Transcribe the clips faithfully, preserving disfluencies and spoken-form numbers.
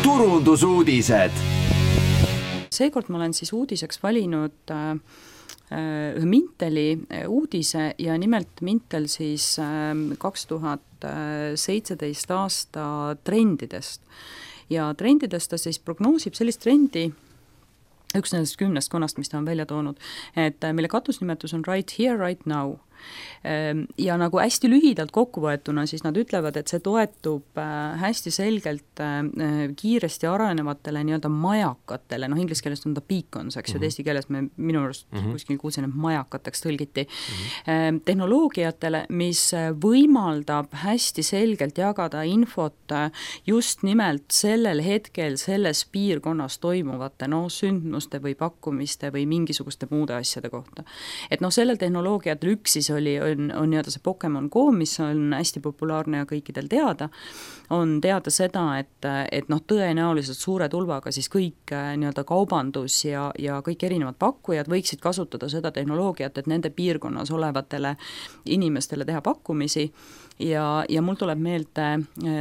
turundusuudised. Seekord ma olen siis uudiseks valinud äh, ühe Minteli uudise ja nimelt Mintel siis äh, kaks tuhat seitseteist aasta trendidest. Ja trendidest ta siis prognoosib sellist trendi, üks nendest kümnest konnast, mis ta on välja toonud, et mille katusnimetus on Right Here, Right Now. Ja nagu hästi lühidalt kokkuvõetuna, siis nad ütlevad, et see toetub hästi selgelt kiiresti arenevatele nii-öelda majakatele, noh inglis keeles on ta beacons, eks ju, mm-hmm. Eesti keeles me minu arust mm-hmm. kuskil kuulsin, et majakateks tõlgiti, mm-hmm. tehnoloogiatele, mis võimaldab hästi selgelt jagada infot just nimelt sellel hetkel selles piirkonnas toimuvate no, sündmuste või pakkumiste või mingisuguste muude asjade kohta. Et noh, sellel tehnoloogiatel üks siis oli, on, on nii-öelda see Pokemon Go, mis on hästi populaarne ja kõikidel teada, on teada seda, et, et noh, tõenäoliselt suure tulvaga siis kõik nii-öelda kaubandus ja, ja kõik erinevad pakkujad võiksid kasutada seda tehnoloogiat, et nende piirkonnas olevatele inimestele teha pakkumisi ja, ja mul tuleb meelde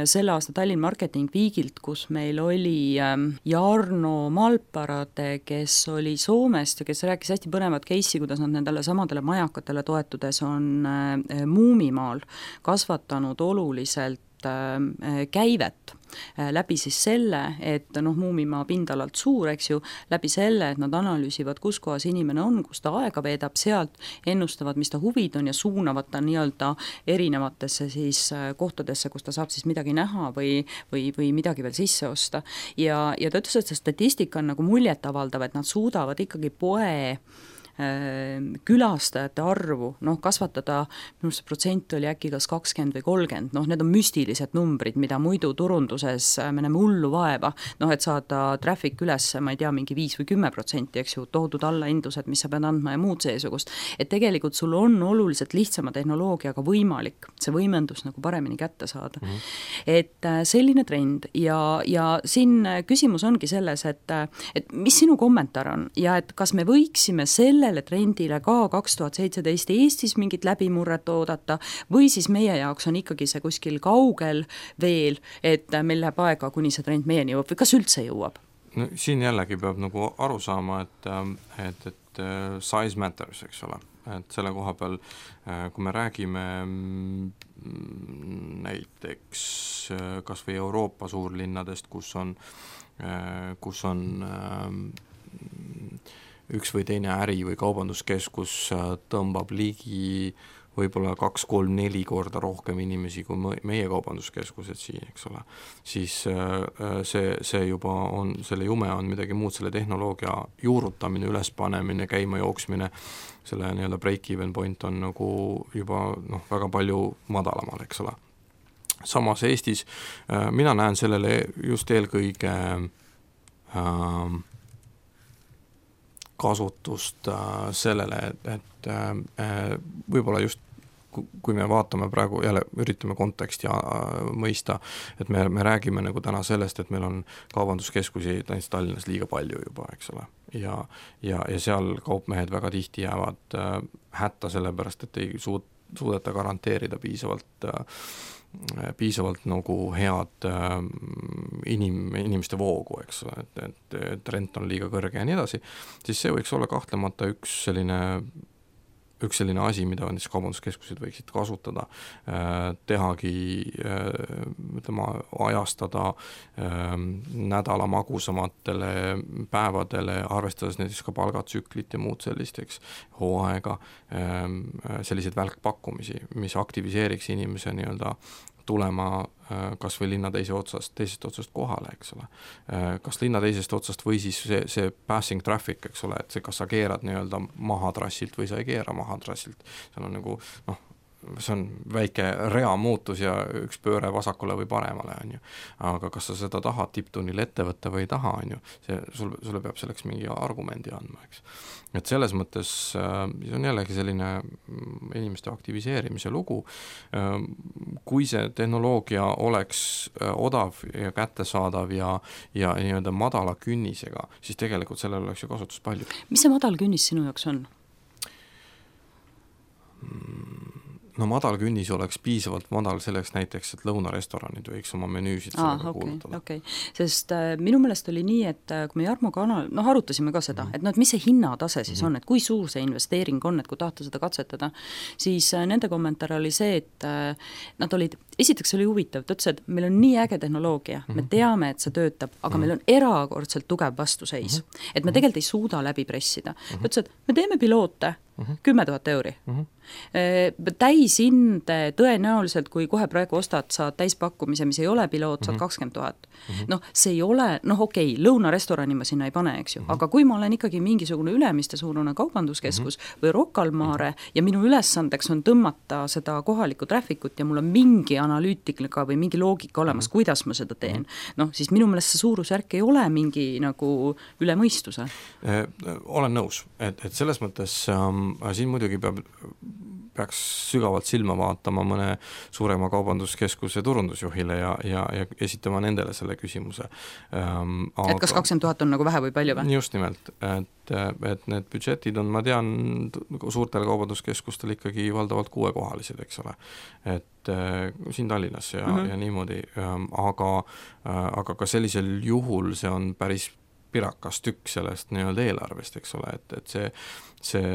selle aasta Tallinn Marketing Weekilt, kus meil oli Jarno Malparade, kes oli Soomest ja kes rääkis hästi põnevat case'i, kuidas nad nendele samadele majakatele toetudes on Muumimaal kasvatanud oluliselt käivet läbi siis selle, et noh, Muumimaa pindalalt suur, eks ju, läbi selle, et nad analüüsivad, kus kohas inimene on, kus ta aega veedab, sealt ennustavad, mis ta huvid on ja suunavad ta nii-öelda erinevatesse siis kohtadesse, kus ta saab siis midagi näha või, või, või midagi veel sisse osta. Ja, ja ta ütles, et see statistika on nagu muljetavaldav, et nad suudavad ikkagi poe külastajate arvu, noh kasvatada, minu see protsent oli äkki kas kakskümmend või kolmkümmend, noh need on müstilised numbrid, mida muidu turunduses me näeme hullu vaeva, noh et saada traffic üles, ma ei tea, mingi viis või kümme protsenti, eks ju, toodud allaindused, mis sa pead andma ja muud seesugust, et tegelikult sul on oluliselt lihtsama tehnoloogiaga võimalik see võimendus nagu paremini kätte saada. Mm-hmm. Et selline trend ja, ja siin küsimus ongi selles, et, et mis sinu kommentaar on ja et kas me võiksime selle sellele trendile ka kaks tuhat seitseteist Eestis mingit läbimurret oodata või siis meie jaoks on ikkagi see kuskil kaugel veel, et meil läheb aega, kuni see trend meieni jõuab või kas üldse jõuab? No, siin jällegi peab nagu aru saama, et, et, et size matters, eks ole. Et selle koha peal, kui me räägime näiteks kas või Euroopa suurlinnadest, kus on, kus on üks või teine äri või kaubanduskeskus tõmbab ligi võib-olla kaks, kolm, neli korda rohkem inimesi kui meie kaubanduskeskused siin, eks ole, siis see, see juba on, selle jume on midagi muud, selle tehnoloogia juurutamine, ülespanemine, käima jooksmine, selle nii-öelda break-even point on nagu juba noh, väga palju madalamal, eks ole. Samas Eestis mina näen sellele just eelkõige äh, kasutust äh, sellele, et, et äh, võib-olla just kui me vaatame praegu, jälle üritame konteksti äh, mõista, et me, me räägime nagu täna sellest, et meil on kaubanduskeskusi Tallinnas liiga palju juba, eks ole. Ja, ja, ja seal kaupmehed väga tihti jäävad äh, hätta sellepärast, et ei suud, suudeta garanteerida piisavalt äh, piisavalt nagu head äh, inim, inimeste voogu, eks ole, et, et, et rent on liiga kõrge ja nii edasi, siis see võiks olla kahtlemata üks selline, üks selline asi, mida näiteks kaubanduskeskused võiksid kasutada, äh, tehagi, äh, ütlema, ajastada äh, nädala magusamatele päevadele, arvestades näiteks ka palgatsüklit ja muud sellist, eks, hooaega, äh, selliseid välkpakkumisi, mis aktiviseeriks inimese nii-öelda tulema kas või linna teise otsast, teisest otsast kohale, eks ole. Kas linna teisest otsast või siis see, see passing traffic, eks ole, et see, kas sa keerad nii-öelda maha trassilt või sa ei keera maha trassilt. See on nagu, noh, see on väike rea muutus ja üks pööre vasakule või paremale, on ju. Aga kas sa seda tahad tipptunnil ette võtta või ei taha, on ju, see, sulle, sulle peab selleks mingi argumendi andma, eks. Et selles mõttes see on jällegi selline inimeste aktiviseerimise lugu. Kui see tehnoloogia oleks odav ja kättesaadav ja, ja nii-öelda madala künnisega, siis tegelikult sellel oleks ju kasutus palju. Mis see madal künnis sinu jaoks on? no madal künnis oleks piisavalt madal selleks näiteks, et lõunarestoranid võiks oma menüüsid Aa, sellega okay, kuulutada. Okay. Sest äh, minu meelest oli nii, et äh, kui me Jarmo kanal, noh arutasime ka seda, mm-hmm. et no et mis see hinnatase siis mm-hmm. on, et kui suur see investeering on, et kui tahta seda katsetada, siis äh, nende kommentaar oli see, et äh, nad olid, esiteks oli huvitav, ta ütles, et meil on nii äge tehnoloogia, mm-hmm. me teame, et see töötab, aga mm-hmm. meil on erakordselt tugev vastuseis, mm-hmm. et me tegelikult ei suuda läbi pressida. Mm-hmm. ta ütles, et me teeme piloote, kümme tuhat euri. Mm-hmm. Täishind tõenäoliselt, kui kohe praegu ostad, saad täispakkumise, mis ei ole piloot, saad kakskümmend tuhat. Mm-hmm. noh, see ei ole, noh okei, okay, lõunarestorani ma sinna ei pane, eks ju, mm-hmm. aga kui ma olen ikkagi mingisugune Ülemiste suurune kaubanduskeskus mm-hmm. või Rocca al Mare ja minu ülesandeks on tõmmata seda kohalikku traffikut ja mul on mingi analüütika või mingi loogika olemas, mm-hmm. kuidas ma seda teen, noh siis minu meelest see suurusjärk ei ole mingi nagu üle mõistuse. Eh, olen nõus, et, et selles mõttes ähm, siin muidugi peab peaks sügavalt silma vaatama mõne suurema kaubanduskeskuse turundusjuhile ja, ja, ja esitama nendele selle küsimuse. Ähm, aga... Et kas kakskümmend tuhat on nagu vähe või palju või? Just nimelt, et, et need budžetid on, ma tean, suurtel kaubanduskeskustel ikkagi valdavalt kuuekohalised, eks ole. Et siin Tallinnas ja, mm-hmm. ja niimoodi, aga, aga ka sellisel juhul see on päris pirakas tükk sellest nii-öelda eelarvest, eks ole, et, et see, see,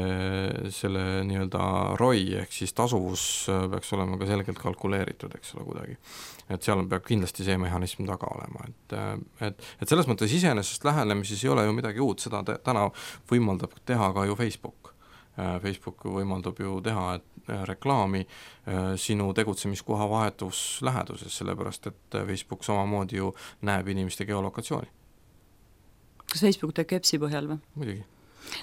selle nii-öelda R O I ehk siis tasuvus peaks olema ka selgelt kalkuleeritud, eks ole, kuidagi. Et seal peab kindlasti see mehhanism taga olema, et, et, et selles mõttes iseenesest lähenemises ei ole ju midagi uut, seda täna võimaldab teha ka ju Facebook. Facebook võimaldab ju teha et reklaami sinu tegutsemiskoha vahetus läheduses, sellepärast et Facebook samamoodi ju näeb inimeste geolokatsiooni. Kas Facebook teeb kepsi põhjal või? Muidugi.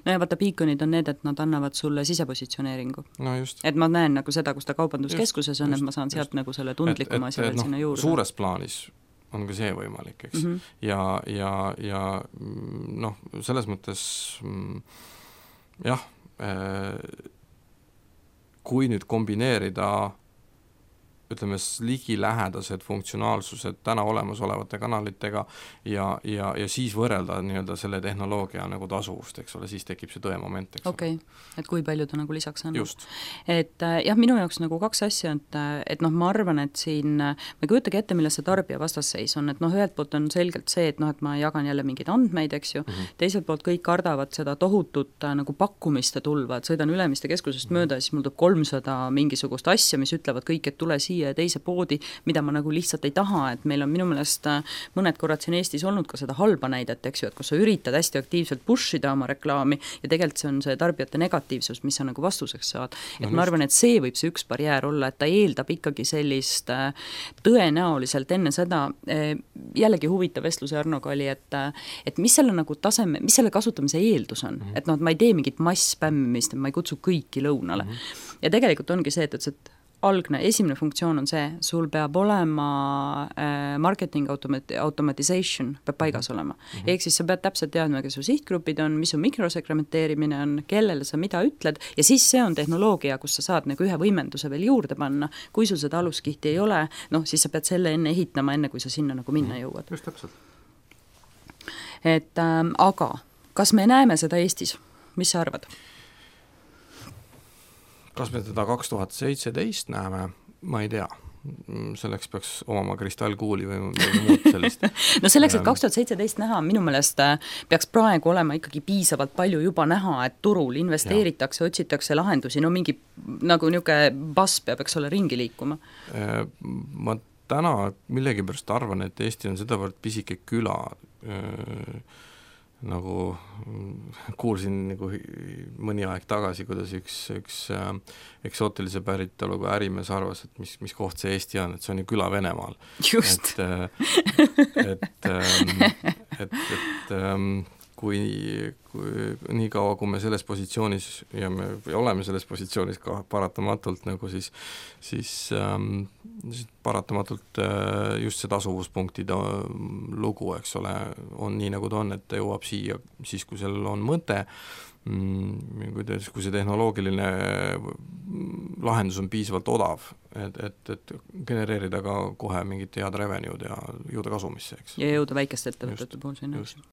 No ja vaata, piikonid on need, et nad annavad sulle sisepositsioneeringu. No just. Et ma näen nagu seda, kus ta kaubanduskeskuses on, just, et ma saan sealt just. Nagu selle tundlikuma asja veel no, sinna juurde. Suures plaanis on ka see võimalik, eks. Mm-hmm. Ja, ja, ja noh, selles mõttes jah, kui nüüd kombineerida ütleme, ligilähedased funktsionaalsused täna olemasolevate kanalitega ja, ja, ja siis võrrelda nii-öelda selle tehnoloogia nagu tasuvust, eks ole, siis tekib see tõe moment, eks okay. ole. Et kui palju ta nagu lisaks on. Just. Et jah, minu jaoks nagu kaks asja, et, et noh, ma arvan, et siin ma ei kujutagi ette, milles see tarbija vastasseis on, et noh, ühelt poolt on selgelt see, et noh, et ma jagan jälle mingeid andmeid, eks ju, mm-hmm. teiselt poolt kõik kardavad seda tohutut nagu pakkumiste tulva, et sõidan Ülemiste keskusest mm-hmm. mööda ja siis mul tuleb kolmsada mingisugust asja, mis ütlevad kõik, et tule siia ja teise poodi, mida ma nagu lihtsalt ei taha, et meil on minu meelest mõned korrad siin Eestis olnud ka seda halba näidet, eks ju, et kus sa üritad hästi aktiivselt pushida oma reklaami ja tegelikult see on see tarbijate negatiivsus, mis sa nagu vastuseks saad. Et no, ma arvan, et see võib see üks barjäär olla, et ta eeldab ikkagi sellist tõenäoliselt enne seda, jällegi huvitav vestluse Arnoga oli, et, et mis selle nagu taseme, mis selle kasutamise eeldus on, mm-hmm. et noh, et ma ei tee mingit mass-spämmimist, ma ei kutsu kõiki lõunale. Mm-hmm. Ja tegelikult ongi see, et, et algne, esimene funktsioon on see, sul peab olema äh, marketing automati- automatization peab paigas olema. Mm-hmm. Ehk siis sa pead täpselt teadma, kes su sihtgrupid on, mis su mikrosegmenteerimine on, kellele sa mida ütled ja siis see on tehnoloogia, kus sa saad nagu ühe võimenduse veel juurde panna. Kui sul seda aluskihti ei ole, noh siis sa pead selle enne ehitama, enne kui sa sinna nagu minna jõuad. Just täpselt. Et, ähm, aga kas me näeme seda Eestis? Mis sa arvad? Kas me teda kaks tuhat seitseteist näeme? Ma ei tea. Selleks peaks omama kristallkuuli või muud sellist. No selleks, et kaks tuhat seitseteist näha, minu meelest peaks praegu olema ikkagi piisavalt palju juba näha, et turul investeeritakse, ja. Otsitakse lahendusi, no mingi nagu niuke bass peab, eks ole, ringi liikuma. Ma täna millegipärast arvan, et Eesti on sedavõrd pisike küla, nagu kuulsin nagu mõni aeg tagasi, kuidas üks, üks äh, eksootilise päritoluga ärimees arvas, et mis, mis koht see Eesti on, et see on ju küla Venemaal. Just. Et, äh, et, ähm, et, et ähm, kui, kui nii kaua, kui me selles positsioonis ja me oleme selles positsioonis ka paratamatult nagu siis, siis, ähm, siis paratamatult äh, just see tasuvuspunktide lugu, eks ole, on nii nagu ta on, et ta jõuab siia siis, kui sellel on mõte, mm, kui see tehnoloogiline lahendus on piisavalt odav, et, et, et genereerida ka kohe mingit head revenue'd ja jõuda kasumisse, eks. Ja jõuda väikeste ettevõtete puhul sinna.